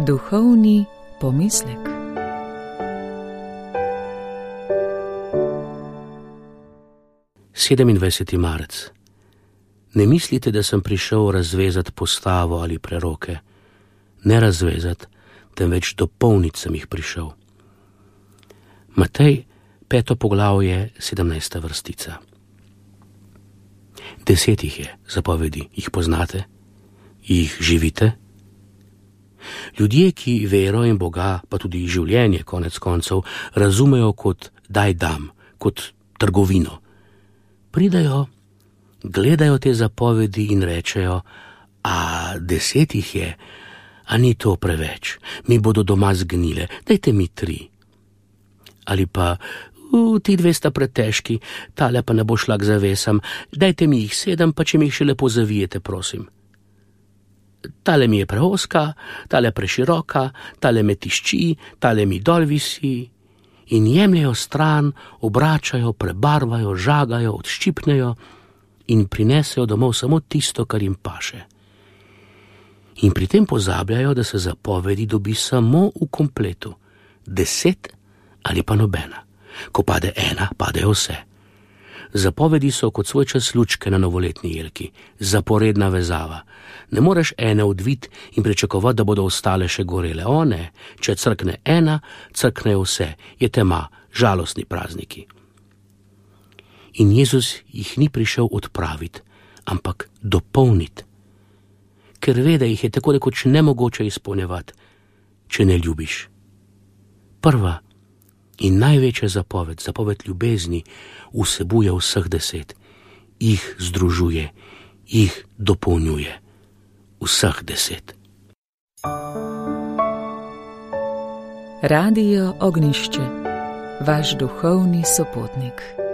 Duhovni pomislek. Sedemindvajseti marec. Ne mislite, da sem prišel razvezati postavo ali preroke. Ne razvezati, temveč dopolniti sem jih prišel. Matej, 5. poglavje, 17. vrstica. 10 jih je zapovedi, jih poznate? Jih živite? Ljudje, ki vero in Boga, pa tudi življenje konec koncev, razumejo kot daj dam, kot trgovino. Pridajo, gledajo te zapovedi in rečejo, a 10 jih je, a ni to preveč, mi bodo doma zgnile, dajte mi 3. Ali pa, ti 2 sta pretežki, tale pa ne bo šla k zavesam, dajte mi jih 7, pa če mi jih še lepo zavijete, prosim. Tale mi je preoska, tale preširoka, tale me tišči, tale mi dol visi. In jemljajo stran, obračajo, prebarvajo, žagajo, odščipnejo in prinesejo domov samo tisto, kar jim paše. In pri tem pozabljajo, da se zapovedi dobi samo v kompletu. 10 ali pa nobena. Ko pade 1, padejo vse. Zapovedi so kot svoj čas lučke na novoletni jelki, zaporedna vezava. Ne moreš ene odviti in pričakovati, da bodo ostale še gorele. O ne, če crkne 1, crknejo vse, je tema, žalostni prazniki. In Jezus jih ni prišel odpraviti, ampak dopolniti. Ker ve, da jih je tako rekoč nemogoče izpolnjevati, če ne ljubiš. Prva in največja zapoved, zapoved ljubezni, vsebuje vseh 10. Jih združuje, jih dopolnjuje. Vseh 10. Radio Ognjišče, vaš duhovni sopotnik.